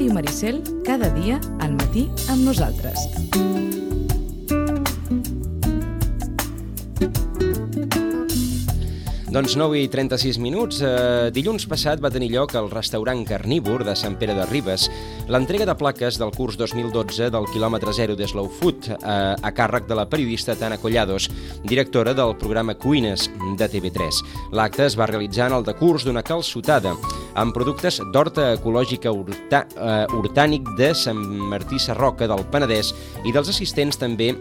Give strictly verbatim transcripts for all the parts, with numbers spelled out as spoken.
Ràdio Maricel, cada dia al matí amb nosaltres. Doncs nou i trenta-sis minuts. Eh, dilluns passat va tenir lloc al restaurant Carnívor de Sant Pere de Ribes l'entrega de plaques del curs dos mil dotze del quilòmetre zero de Slow Food eh, a càrrec de la periodista Tana Collados, directora del programa Cuines de T V tres. L'acte es va realitzar en el decurs d'una calçotada amb productes d'horta ecològica urta, eh, orgànic de Sant Martí Sarroca del Penedès, i dels assistents també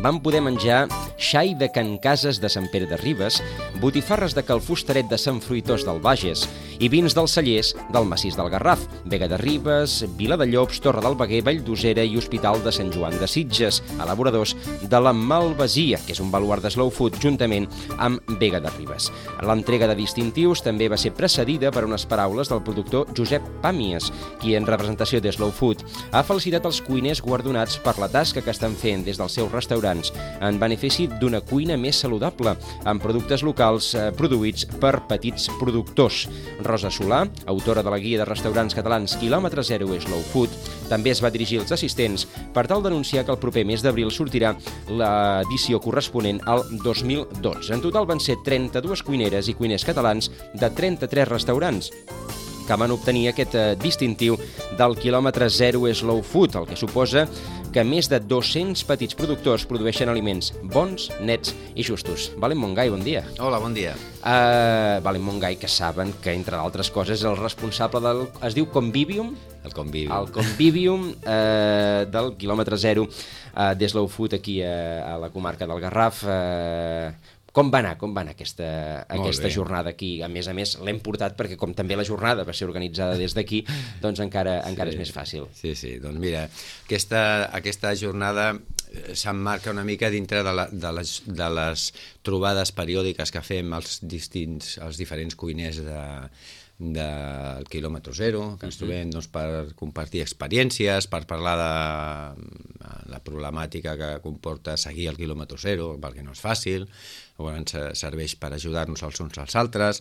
van poder menjar xai de Can Cases de Sant Pere de Ribes, botifarres de Calfustaret de Sant Fruitós del Bages i vins dels cellers del Massís del Garraf, Vega de Ribes, Vila de Llops, Torre del Veguer, Valldosera i Hospital de Sant Joan de Sitges, elaboradors de la Malvasia, que és un baluard de Slow Food, juntament amb Vega de Ribes. L'entrega de distintius també va ser precedida per unes paraules del productor Josep Pàmies, qui en representació de Slow Food ha felicitat els cuiners guardonats per la tasca que estan fent des dels seus restaurants en benefici d'una cuina més saludable, amb productes locals eh, produïts per petits productors. Rosa Solà, autora de la guia de restaurants catalans quilòmetre zero Slow Food, també es va dirigir als assistents per tal d'anunciar que el proper mes d'abril sortirà l'edició corresponent al dos mil dotze. En total van ser trenta-dues cuineres i cuiners catalans de trenta-tres restaurants que van obtenir aquest eh, distintiu del quilòmetre zero Slow Food, el que suposa que més de dos-cents petits productors produeixen aliments bons, nets i justos. Valent Montgai, bon dia. Hola, bon dia. Uh, Valent Montgai, que saben que, entre d'altres coses, el responsable del... es diu Convivium? El Convivium. El Convivium uh, del quilòmetre zero uh, de Slow Food aquí a, a la comarca del Garraf. Uh, Com va anar, com va anar aquesta, aquesta jornada aquí? A més a més, l'hem portat perquè, com també la jornada va ser organitzada des d'aquí, doncs encara, encara sí, és més fàcil. Sí, sí, doncs mira, aquesta, aquesta jornada s'emmarca una mica dintre de, la, de, les, de les trobades periòdiques que fem els distints, els diferents cuiners de, del quilòmetre zero, que ens trobem doncs, per compartir experiències, per parlar de la problemàtica que comporta seguir el quilòmetre zero, perquè no és fàcil, llavors serveix per ajudar-nos els uns als altres,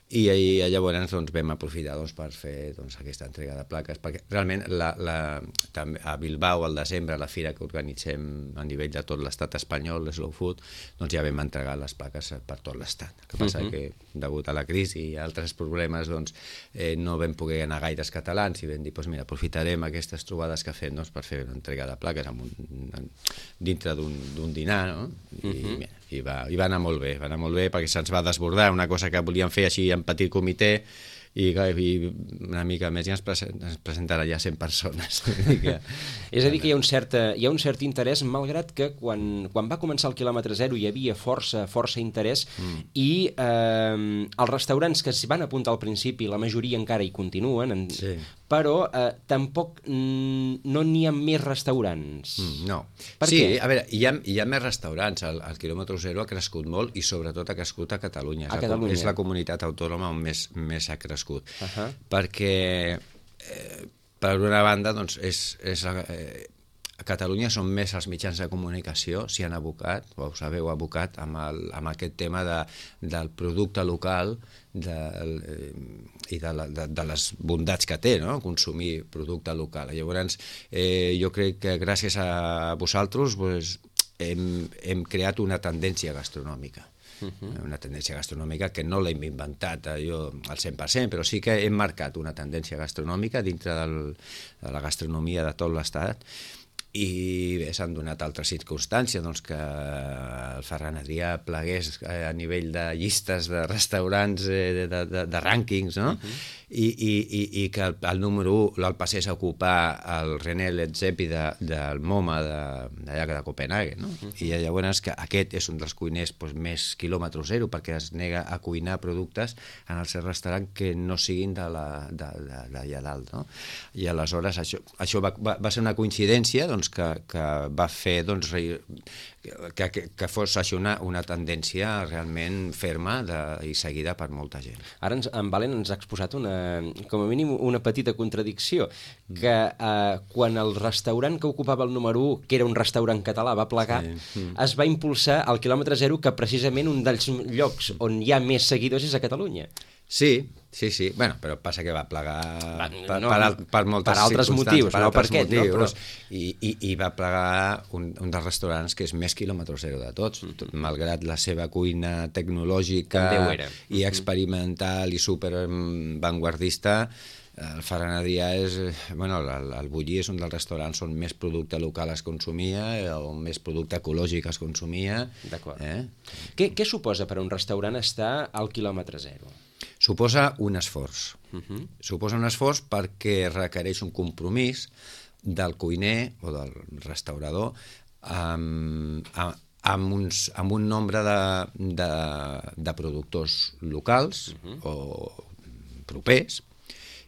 i, i llavors doncs, vam aprofitar doncs, per fer doncs, aquesta entrega de plaques, perquè realment la, la, també a Bilbao al desembre, a la fira que organitzem a nivell de tot l'estat espanyol, Slow Food, doncs ja vam entregar les plaques per tot l'estat. El que passa uh -huh. que, degut a la crisi i altres problemes, doncs, eh, no vam poder anar gaires catalans i vam dir, doncs mira, aprofitarem aquestes trobades que fem doncs, per fer una entrega de plaques amb un, dintre d'un dinar, no? I, uh -huh. mira, i, va, i va anar molt bé, va anar molt bé perquè se'ns va desbordar una cosa que volíem fer així en petit comitè, i, i una mica més ja ens, present, ens presentarà ja cent persones. que... És a dir, que hi ha un cert, hi ha un cert interès, malgrat que quan, quan va començar el quilòmetre zero hi havia força, força interès, mm. i eh, els restaurants que es van apuntar al principi, la majoria encara hi continuen, en, sí. però eh, tampoc mm, no n'hi ha més restaurants. Mm, no. Per sí, què? a veure, hi ha, hi ha més restaurants. El, el quilòmetre zero ha crescut molt i sobretot ha crescut a Catalunya. A és, Catalunya. La, és la comunitat autònoma on més, més ha crescut. Uh -huh. Perquè eh, per una banda doncs, és, és, eh, a Catalunya són més els mitjans de comunicació, s'hi han abocat, o us haveu abocat amb, el, amb aquest tema de, del producte local de, eh, i de, la, de, de les bondats que té, no? Consumir producte local. Llavors eh, jo crec que gràcies a vosaltres pues, hem, hem creat una tendència gastronòmica. Uh-huh. Una tendència gastronòmica que no l'hem inventat jo al cent per cent, però sí que hem marcat una tendència gastronòmica dintre del, de la gastronomia de tot l'estat, i bé, s'han donat altres circumstàncies, doncs que el Ferran Adrià plegués a nivell de llistes de restaurants, de, de, de, de rànquings, no? Uh-huh. I, i, i, i que el, el número un el passés a ocupar el René Redzepi de, del MoMA d'allà de, de Copenhague, no? Uh-huh. I llavors que aquest és un dels cuiners doncs, més quilòmetre zero, perquè es nega a cuinar productes en el seu restaurant que no siguin d'allà dalt, no? I aleshores això, això va, va, va ser una coincidència, doncs, que, que va fer doncs, que, que, que fos així una, una tendència realment ferma de, i seguida per molta gent. Ara ens, en Valent ens ha exposat una, com a mínim una petita contradicció, que eh, quan el restaurant que ocupava el número u, que era un restaurant català, va plegar, sí. mm. es va impulsar al quilòmetre zero, que precisament un dels llocs on hi ha més seguidors és a Catalunya. Sí, sí, sí. Bueno, però passa que va plegar Va, per, no, per, per moltes per altres circumstàncies, motius, per no altres per aquest, no? motius, Però- i, i, i va plegar un, un dels restaurants que és més quilòmetre zero de tots, tot, malgrat la seva cuina tecnològica També ho era. i experimental i super mm, vanguardista. El Ferran Adrià és, eh, bueno, el, el Bulli és un dels restaurants on més producte local es consumia, eh, on més producte ecològic es consumia. D'acord. Eh? Què, què suposa per a un restaurant estar al quilòmetre zero? Suposa un esforç. Uh -huh. Suposa un esforç perquè requereix un compromís del cuiner o del restaurador amb, amb, amb, uns, amb un nombre de, de, de productors locals uh -huh. o propers,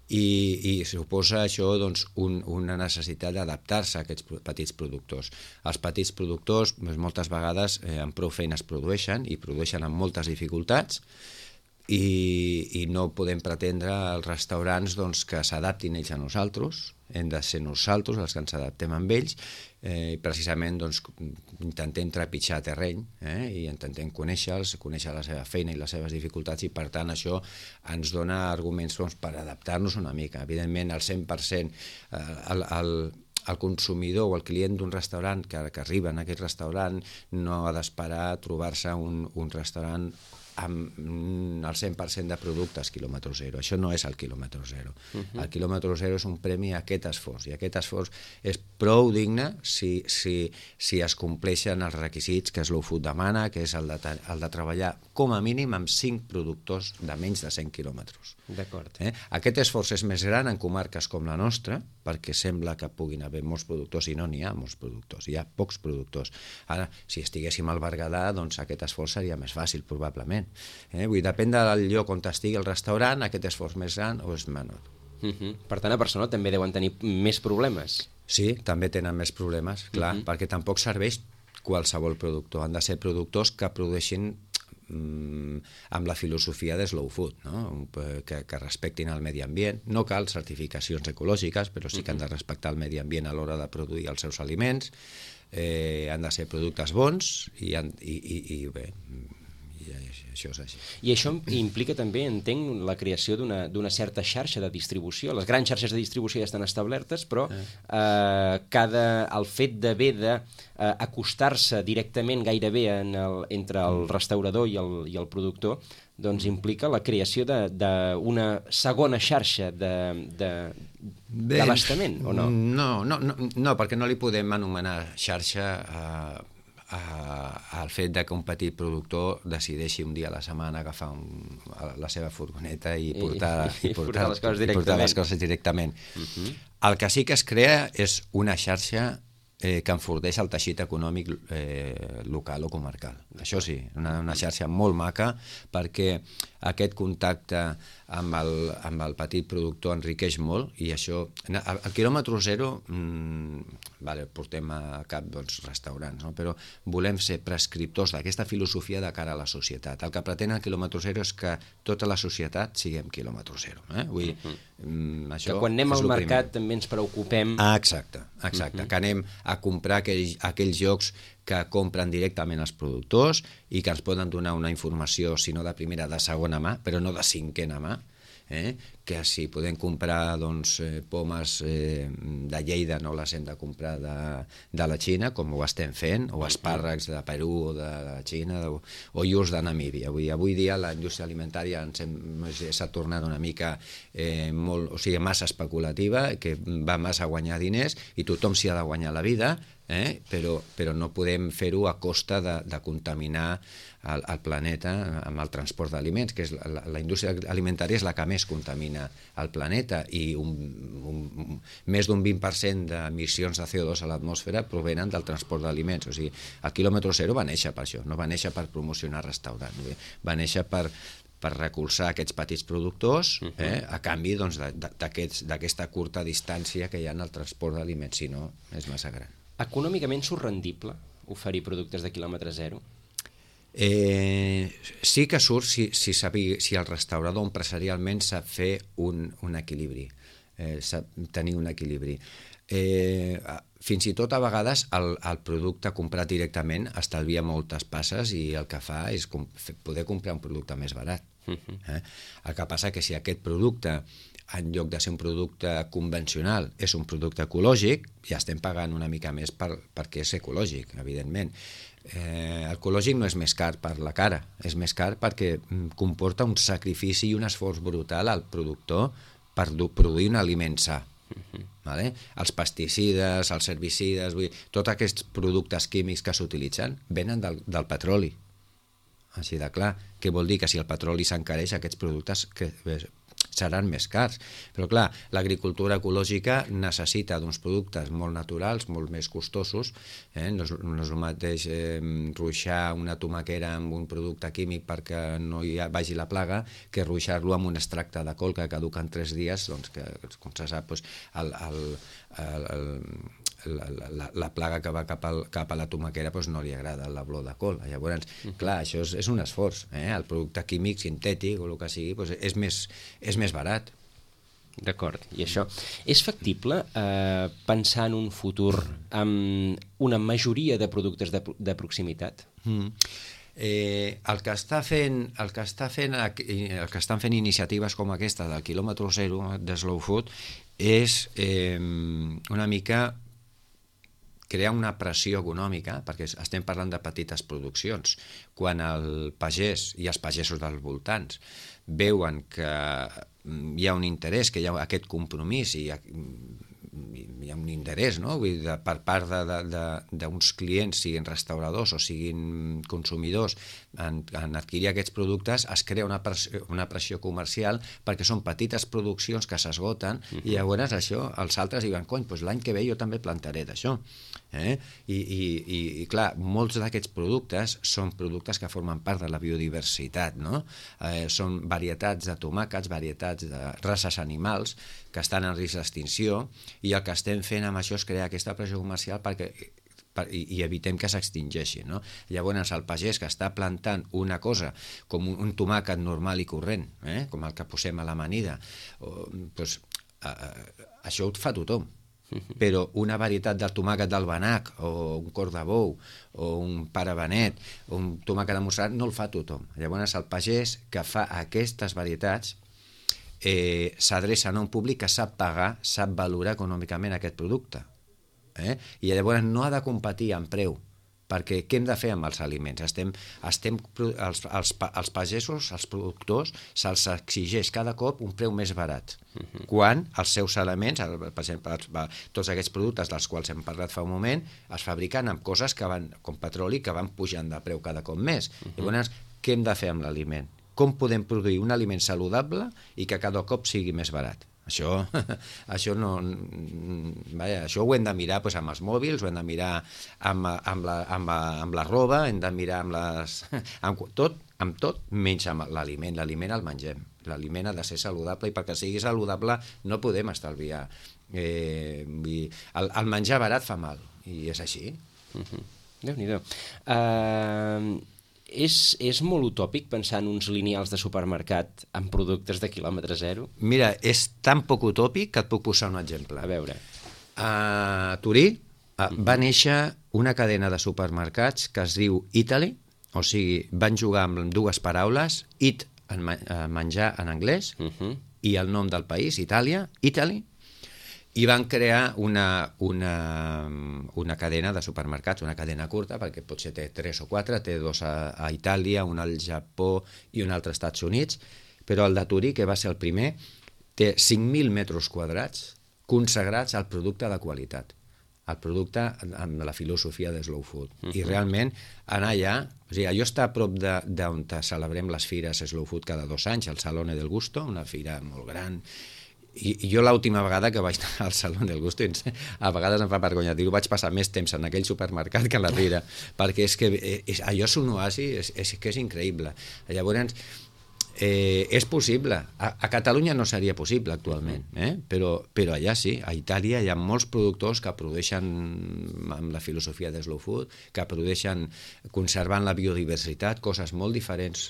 i, i suposa això doncs, un, una necessitat d'adaptar-se a aquests petits productors. Els petits productors doncs, moltes vegades eh, amb prou feines produeixen i produeixen amb moltes dificultats, i, i no podem pretendre als restaurants doncs, que s'adaptin ells a nosaltres, hem de ser nosaltres els que ens adaptem amb ells, eh, precisament doncs, intentem trepitjar terreny eh, i intentem conèixer-los, conèixer la seva feina i les seves dificultats, i per tant això ens dona arguments doncs, per adaptar-nos una mica. Evidentment el cent per cent eh, el, el, el consumidor o el client d'un restaurant que, que arriba en aquest restaurant no ha d'esperar trobar-se un, un restaurant amb el cent per cent de productes quilòmetre zero. Això no és el quilòmetre zero. Uh-huh. El quilòmetre zero és un premi a aquest esforç, i aquest esforç és prou digne si, si, si es compleixen els requisits que Slow Food demana, que és el de, el de treballar com a mínim amb cinc productors de menys de cent quilòmetres. D'acord. Eh? Aquest esforç és més gran en comarques com la nostra, perquè sembla que puguin haver molts productors, i no n'hi ha molts productors, hi ha pocs productors. Ara, si estiguéssim al Berguedà, doncs aquest esforç seria més fàcil, probablement. Eh? Vull dir, depèn del lloc on estigui el restaurant, aquest esforç més gran o és menor. Uh-huh. Per tant, a Barcelona també deuen tenir més problemes. Sí, també tenen més problemes, clar, uh-huh. perquè tampoc serveix qualsevol productor. Han de ser productors que produeixin amb la filosofia de slow food, no? que, que respectin el medi ambient. No cal certificacions ecològiques, però sí que han de respectar el medi ambient a l'hora de produir els seus aliments, eh, han de ser productes bons i, i, i, i bé, i això és així. I això implica també, entenc, la creació d'una d'una certa xarxa de distribució. Les grans xarxes de distribució ja estan establertes, però eh, cada, el fet d'haver de eh, acostar-se directament gairebé en el, entre el restaurador i el, i el productor, doncs implica la creació d'una segona xarxa d'abastament, o no? No, no, no, no, perquè no li podem anomenar xarxa a... al fet de que un petit productor decideixi un dia a la setmana agafar un, la seva furgoneta i portar, I, i, i portar, portar les coses i directament. Portar les coses directament. Uh-huh. El que sí que es crea és una xarxa eh, que enforteix el teixit econòmic eh, local o comarcal. Això sí, una, una xarxa molt maca, perquè aquest contacte amb el, amb el petit productor enriqueix molt, i això... El quilòmetre zero, mmm, vale, portem a cap doncs, restaurants, no? Però volem ser prescriptors d'aquesta filosofia de cara a la societat. El que pretén el quilòmetre zero és que tota la societat siguem quilòmetre zero. Eh? Vull dir, mm, això que quan anem al mercat primer. També ens preocupem... Ah, exacte, exacte. Uh-huh. Que anem a comprar aquells, aquells llocs que compren directament els productors i que ens poden donar una informació, si no de primera, de segona mà, però no de cinquena mà, eh? Que si podem comprar doncs, eh, pomes eh, de Lleida no les hem de comprar de, de la Xina, com ho estem fent, o espàrrecs de Perú o de la Xina, o, o iogurts de Namíbia. Avui, avui dia la indústria alimentària s'ha tornat una mica eh, molt, o sigui, massa especulativa, que va massa a guanyar diners, i tothom s'hi ha de guanyar la vida, eh? però, però no podem fer-ho a costa de, de contaminar el, el planeta amb el transport d'aliments, que és la, la, la indústria alimentària és la que més contamina el planeta, i un, un, un, més d'un vint per cent d'emissions de C O dos a l'atmosfera provenen del transport d'aliments. O sigui, el quilòmetre zero va néixer per això, no va néixer per promocionar restaurants, va néixer per per recolzar aquests petits productors, eh, a canvi doncs, d'aquesta curta distància que hi ha en el transport d'aliments, si no és massa gran. Econòmicament surt rendible oferir productes de quilòmetre zero? Eh, sí que surt si, si, sabi, si el restaurador empresarialment sap fer un, un equilibri, eh, sap tenir un equilibri. Eh, fins i tot a vegades el, el producte comprat directament estalvia moltes passes, i el que fa és com, poder comprar un producte més barat. Eh? El que passa que si aquest producte, en lloc de ser un producte convencional, és un producte ecològic, ja estem pagant una mica més per, perquè és ecològic, evidentment. Eh, el ecològic no és més car per la cara, és més car perquè comporta un sacrifici i un esforç brutal al productor per produir un aliment sa. Uh-huh. Vale? Els pesticides, els herbicides, vull dir, tots aquests productes químics que s'utilitzen venen del, del petroli. Així de clar, què vol dir? Que si el petroli s'encareix, aquests productes que seran més cars. Però clar, l'agricultura ecològica necessita d'uns productes molt naturals, molt més costosos. Eh? No, és, no és el mateix eh, ruixar una tomaquera amb un producte químic perquè no hi ha, vagi la plaga que ruixar-lo amb un extracte de col que caduca en tres dies, doncs que, com se sap, doncs, el, el, el, el La, la, la plaga que va cap, al, cap a la tomaquera doncs no li agrada la flor de col. Llavors, uh-huh. clar, això és, és un esforç. Eh? El producte químic, sintètic o el que sigui, doncs és, més, és més barat. D'acord. I això, és factible eh, pensar en un futur amb una majoria de productes de, de proximitat? Mm. Eh, el que està fent, el que està fent, el que estan fent iniciatives com aquesta del quilòmetre zero de Slow Food és eh, una mica crear una pressió econòmica, perquè estem parlant de petites produccions. Quan el pagès i els pagesos dels voltants veuen que hi ha un interès, que hi ha aquest compromís i hi ha, hi ha un interès, no? Vull dir, de, per part d'uns clients, siguin restauradors o siguin consumidors, en, en adquirir aquests productes, es crea una pressió, una pressió comercial perquè són petites produccions que s'esgoten uh-huh. i llavors això, els altres diuen, cony, doncs l'any que ve jo també plantaré d'això. Eh? I, i, i, i clar, molts d'aquests productes són productes que formen part de la biodiversitat, no? Eh, són varietats de tomàquets, varietats de races animals que estan en risc d'extinció, i el que estem fent amb això és crear aquesta pressió comercial perquè per, i, i evitem que s'extingeixi, no? Llavors el pagès que està plantant una cosa com un, un tomàquet normal i corrent, eh? com el que posem a l'amanida, o, doncs, a, a, això ho fa tothom. Però una varietat del tomàquet del Banach o un cor de bou o un pare Benet o un tomàquet de Montserrat no el fa tothom. Llavors el pagès que fa aquestes varietats eh, s'adreça a un públic que sap pagar, sap valorar econòmicament aquest producte. Eh? I llavors no ha de competir en preu, perquè què hem de fer amb els aliments? Estem, estem, els, els, els pagesos, els productors, se'ls exigeix cada cop un preu més barat, uh-huh. quan els seus elements, per exemple, tots aquests productes dels quals hem parlat fa un moment, es fabriquen amb coses que van, com petroli, que van pujant de preu cada cop més. Uh-huh. Llavors, què hem de fer amb l'aliment? Com podem produir un aliment saludable i que cada cop sigui més barat? Això, això, no, vaja, això ho hem de mirar doncs, amb els mòbils, ho hem de mirar amb, amb, la, amb, la, amb la roba, hem de mirar amb les... amb tot, amb tot menys amb l'aliment. L'aliment el mengem. L'aliment ha de ser saludable i perquè sigui saludable no podem estalviar. Eh, el, el menjar barat fa mal i és així. Uh-huh. Déu-n'hi-do. Uh... És, és molt utòpic pensar en uns lineals de supermercat amb productes de quilòmetre zero? Mira, és tan poc utòpic que et puc posar un exemple. A veure. A Turí uh, va néixer una cadena de supermercats que es diu Italy, o sigui, van jugar amb dues paraules, eat, en menjar en anglès, uh-huh. i el nom del país, Itàlia, Italy, i van crear una, una, una cadena de supermercats, una cadena curta, perquè potser té tres o quatre, té dos a, a Itàlia, un al Japó i un altre als Estats Units, però el de Turí, que va ser el primer, té cinc mil metres quadrats consagrats al producte de qualitat, el producte amb la filosofia de Slow Food. Uh-huh. I realment anar allà, o sigui, allò està a prop d'on celebrem les fires Slow Food cada dos anys, el Salone del Gusto, una fira molt gran. I, i jo l'última vegada que vaig anar al Salón del Gusto, a vegades em fa vergonya dir-ho, vaig passar més temps en aquell supermercat que a la fira, perquè és que és, allò és un oasi, és, és que és increïble. Llavors, eh, és possible. A, a Catalunya no seria possible actualment, eh? però, però allà sí, a Itàlia hi ha molts productors que produeixen amb la filosofia de Slow Food, que produeixen conservant la biodiversitat, coses molt diferents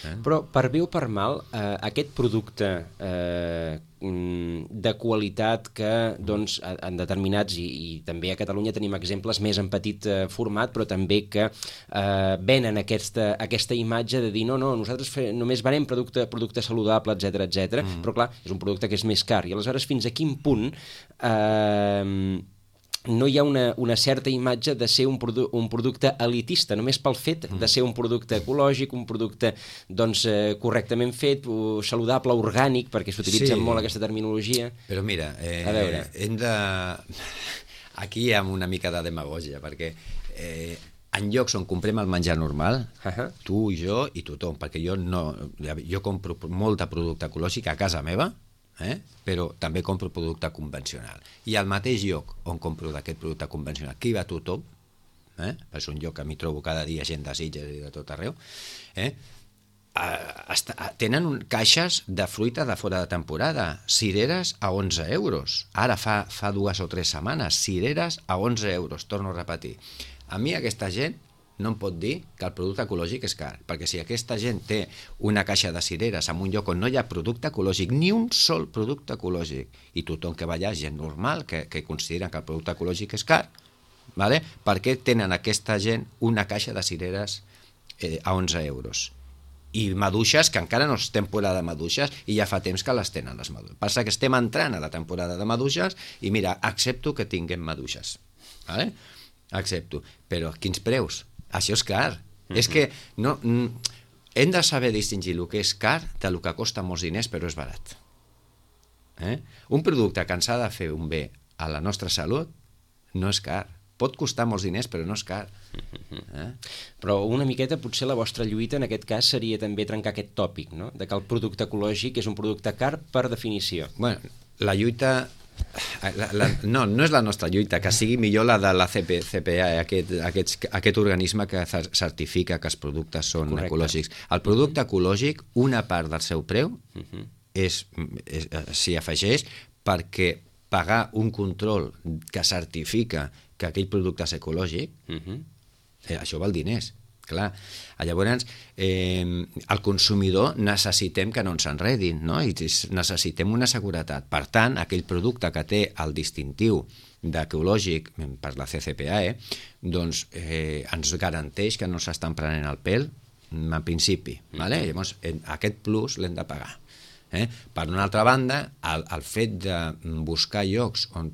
Eh? Però, per bé o per mal, eh, aquest producte eh, de qualitat que, doncs, en determinats, i, i també a Catalunya tenim exemples més en petit eh, format, però també que eh, venen aquesta, aquesta imatge de dir no, no, nosaltres fe, només venem producte, producte saludable, etcètera, etcètera, mm. però clar, és un producte que és més car. I aleshores, fins a quin punt eh, no hi ha una, una certa imatge de ser un, produ un producte elitista, només pel fet de ser un producte ecològic, un producte doncs, eh, correctament fet, saludable, orgànic, perquè s'utilitza sí. molt aquesta terminologia. Però mira, eh, a veure. hem de... Aquí hi ha una mica de demagògia, perquè eh, en llocs on comprem el menjar normal, uh-huh. tu, jo i tothom, perquè jo, no, jo compro molt de producte ecològic a casa meva, Eh? però també compro producte convencional. I al mateix lloc on compro d'aquest producte convencional, que hi va tothom, eh? és un lloc que m'hi trobo cada dia gent de Sitges i de tot arreu, eh? tenen un, caixes de fruita de fora de temporada, cireres a onze euros. Ara fa, fa dues o tres setmanes, cireres a onze euros, torno a repetir. A mi aquesta gent no em pot dir que el producte ecològic és car, perquè si aquesta gent té una caixa de cireres en un lloc on no hi ha producte ecològic, ni un sol producte ecològic, i tothom que va allà, gent normal, que, que considera que el producte ecològic és car, vale? Per què tenen aquesta gent una caixa de cireres eh, a onze euros? I maduixes, que encara no és temporada de maduixes, i ja fa temps que les tenen les maduixes. Passa que estem entrant a la temporada de maduixes, i mira, accepto que tinguem maduixes, vale? Accepto, però quins preus? Això és car. Mm-hmm. És que no, hem de saber distingir el que és car del que costa molts diners però és barat. Eh? Un producte que ens ha de fer un bé a la nostra salut no és car. Pot costar molts diners però no és car. Eh? Però una miqueta potser la vostra lluita en aquest cas seria també trencar aquest tòpic, no? De que el producte ecològic és un producte car per definició. Bueno, la lluita... La, la, no, no és la nostra lluita, que sigui millor la de la C P, C P A, aquest, aquest, aquest organisme que certifica que els productes són Correcte. Ecològics. El producte ecològic, una part del seu preu uh-huh. és, és, s'hi afegeix perquè pagar un control que certifica que aquell producte és ecològic, uh-huh. eh, això val diners. Clar, llavors eh, el consumidor necessitem que no ens enredin, no? I necessitem una seguretat. Per tant, aquell producte que té el distintiu d'ecològic per la C C P A, eh, doncs eh, ens garanteix que no s'estan prenent el pèl en principi. Vale? Llavors, aquest plus l'hem de pagar. Eh? Per una altra banda, el, el fet de buscar llocs on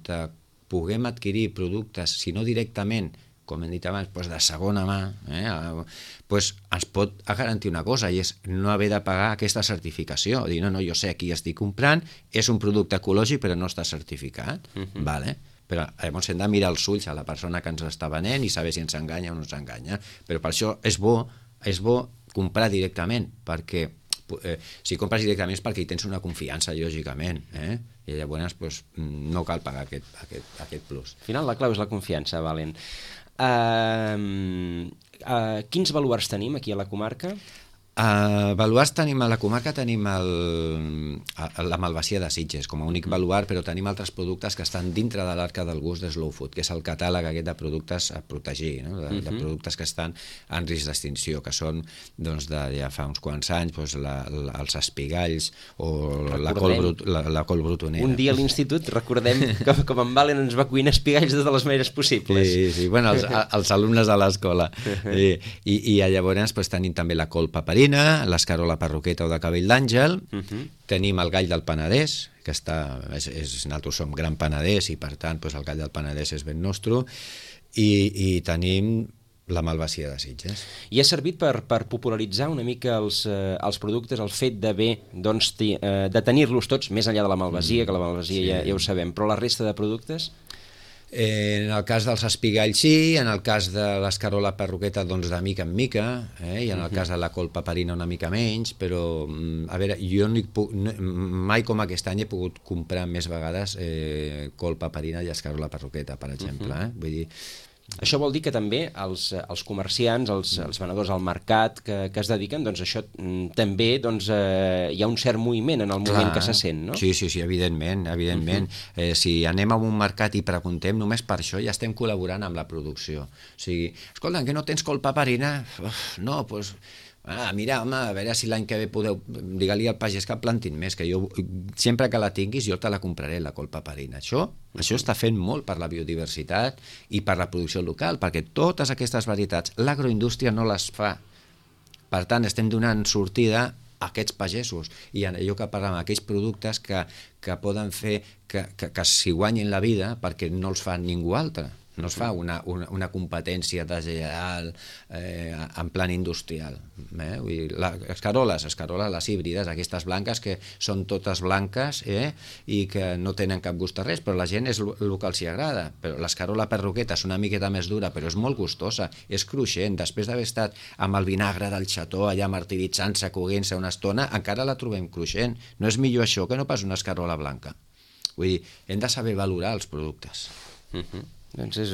puguem adquirir productes, si no directament, com hem dit abans, doncs de segona mà, eh, doncs ens pot garantir una cosa, i és no haver de pagar aquesta certificació. Dir, no, no, jo sé qui estic comprant, és un producte ecològic però no està certificat. Uh-huh. Vale? Però llavors hem de mirar els ulls a la persona que ens està venent i saber si ens enganya o no ens enganya. Però per això és bo, és bo comprar directament, perquè eh, si compres directament és perquè hi tens una confiança, lògicament, eh? I llavors pues, no cal pagar aquest, aquest, aquest plus. Al final la clau és la confiança, Valent. Uh, uh, quins baluars tenim aquí a la comarca? Uh, baluars tenim a la comarca, tenim el, la Malvasia de Sitges com a únic baluar, però tenim altres productes que estan dintre de l'arca del gust de Slow Food, que és el catàleg aquest de productes a protegir, no? de, de productes que estan en risc d'extinció, que són doncs, de ja fa uns quants anys doncs, la, la, els espigalls o la col, brut, la, la col brutonera. Un dia a l'institut recordem que com en Valen ens va cuinar espigalls de totes les maneres possibles. Sí, sí, bueno, els, els alumnes de l'escola. I, i, i llavors doncs, tenim també la col paperina, l'escarola parroqueta o de cabell d'àngel, uh-huh. tenim el gall del Penedès, que està, és, és, nosaltres som gran Penedès i per tant doncs, el gall del Penedès és ben nostre, i, i tenim la Malvasia de Sitges. I ha servit per, per popularitzar una mica els, eh, els productes, el fet d'haver doncs, eh, de tenir-los tots, més enllà de la Malvasia, mm, que la Malvasia sí. ja, ja ho sabem, però la resta de productes... Eh, en el cas dels espigalls sí, en el cas de l'escarola perruqueta doncs de mica en mica, eh? I en el cas de la col paperina una mica menys, però a veure, jo no puc, no, mai com aquest any he pogut comprar més vegades eh, col paperina i escarola perruqueta, per exemple, eh? Vull dir, això vol dir que també els, els comerciants, els, els venedors al mercat que, que es dediquen, doncs això també doncs, eh, hi ha un cert moviment en el moment Clar. Que se sent, no? Sí, sí, sí, evidentment, evidentment. Uh-huh. eh, si anem a un mercat i preguntem, només per això ja estem col·laborant amb la producció. O sigui, escolta, que no tens col paperina? Uf, no, doncs... Ah, mira, home, a veure si l'any que ve podeu... Digue-li al pagès que plantin més, que jo sempre que la tinguis jo te la compraré, la col paperina. Això, uh-huh. això està fent molt per la biodiversitat i per la producció local, perquè totes aquestes varietats l'agroindústria no les fa. Per tant, estem donant sortida a aquests pagesos i en allò que parlem, aquells productes que, que poden fer que, que, que s'hi guanyin la vida perquè no els fa ningú altre. No es fa una, una, una competència deslleial eh, en plan industrial. Eh? Vull dir, les caroles, les caroles, les híbrides, aquestes blanques que són totes blanques eh? i que no tenen cap gust a res, però la gent és el que els hi agrada. Però l'escarola perroqueta és una miqueta més dura, però és molt gustosa, és cruixent. Després d'haver estat amb el vinagre del xató allà martiritzant-se, coguent-se una estona, encara la trobem cruixent. No és millor això que no pas una escarola blanca. Vull dir, hem de saber valorar els productes. Mhm. Doncs és,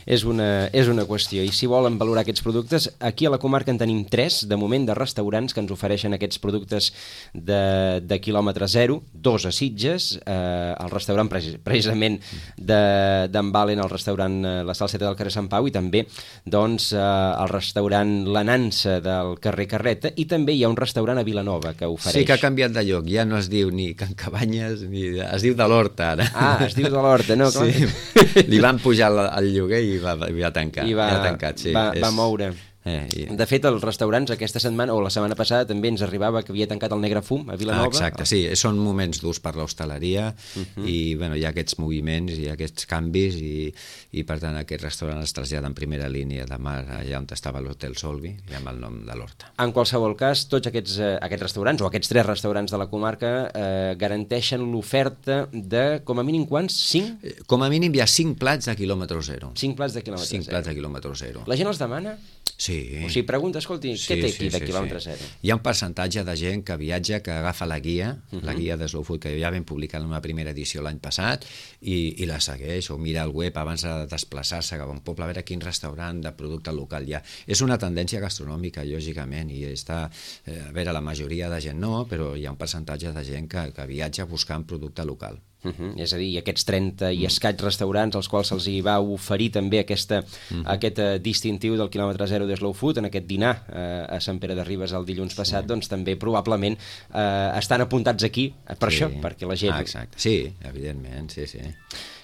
és, una, és una qüestió. I si volen valorar aquests productes, aquí a la comarca en tenim tres, de moment, de restaurants que ens ofereixen aquests productes de, de quilòmetre zero, dos a Sitges, eh, el restaurant precisament d'en de, Valen, el restaurant eh, La Salseta del carrer Sant Pau, i també doncs, eh, el restaurant La Nansa del carrer Carreta, i també hi ha un restaurant a Vilanova que ofereix... Sí, que ha canviat de lloc, ja no es diu ni Can Cabanyes, ni... es diu de l'Horta, ara. Ah, es diu de l'Horta, no? Clar. Sí, li van pujar el lloguer i va, va tancar. I va, ja tancat, sí. va, és... va moure. Eh, i... De fet, els restaurants aquesta setmana, o la setmana passada, també ens arribava que havia tancat el Negre Fum a Vilanova. Ah, exacte, sí, són moments durs per l'hostaleria uh-huh. i bueno, hi ha aquests moviments, hi ha aquests canvis i, i per tant aquest restaurant es trasllada en primera línia de mar allà on estava l'Hotel Solvi i amb el nom de l'Horta. En qualsevol cas, tots aquests, eh, aquests restaurants, o aquests tres restaurants de la comarca, eh, garanteixen l'oferta de, com a mínim, quants? Cinc? Com a mínim hi ha cinc plats de quilòmetre zero. Cinc plats de quilòmetre cinc zero. plats de quilòmetre zero. La gent els demana? Sí. O sigui, pregunta, escolti, sí, què té sí, aquí de sí, quilòmetre sí. zero? Hi ha un percentatge de gent que viatja, que agafa la guia, uh-huh. la guia de Slow Food, que ja vam publicar en una primera edició l'any passat, i, i la segueix, o mira el web abans de desplaçar-se cap a un poble, a veure quin restaurant de producte local hi ha. És una tendència gastronòmica, lògicament, i està, eh, a veure, la majoria de gent no, però hi ha un percentatge de gent que, que viatja buscant producte local. Uh-huh. És a dir, aquests trenta i escaig restaurants als quals se'ls hi va oferir també aquesta, uh-huh. aquest uh, distintiu del quilòmetre zero de Slow Food en aquest dinar uh, a Sant Pere de Ribes el dilluns passat, sí. doncs també probablement uh, estan apuntats aquí per sí. això, perquè la gent... Ah, exacte, sí, evidentment, sí, sí.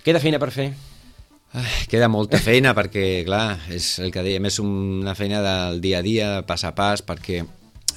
Queda feina per fer? Ai, queda molta feina perquè, clar, és el que dèiem, és una feina del dia a dia, pas a pas, perquè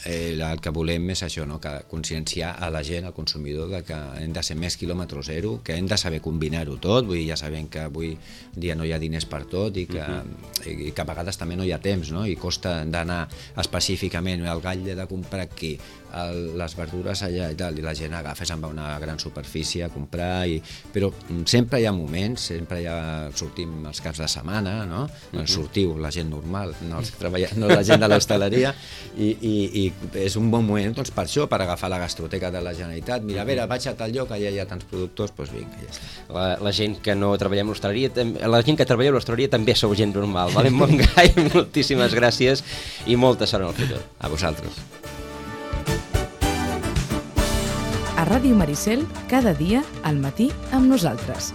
Eh, el que volem és això, no? Que conscienciar a la gent, al consumidor, de que hem de ser més quilòmetre zero, que hem de saber combinar-ho tot, vull dir, ja sabem que avui dia no hi ha diners per tot i que, uh-huh. i que a vegades també no hi ha temps, no? I costa d'anar específicament, el gall de comprar aquí, el, les verdures allà i tal, i la gent agafa, se'n va a una gran superfície a comprar, i, però sempre hi ha moments, sempre hi ha, sortim els caps de setmana, no? Uh-huh. Sortiu, la gent normal, no, els treballa, no la gent de l'hostaleria, i, i, i és un bon moment doncs, per això, per agafar la gastroteca de la Generalitat. Mira, a veure, vaig a tal lloc, allà hi ha tants productors, doncs vinga, ja està. La, la gent que no treballem a l'hostaleria, la gent que treballa a l'hostaleria també sou gent normal. Valent Montgai, moltíssimes gràcies i molta sort en el futur. A vosaltres. A Ràdio Maricel, cada dia, al matí, amb nosaltres.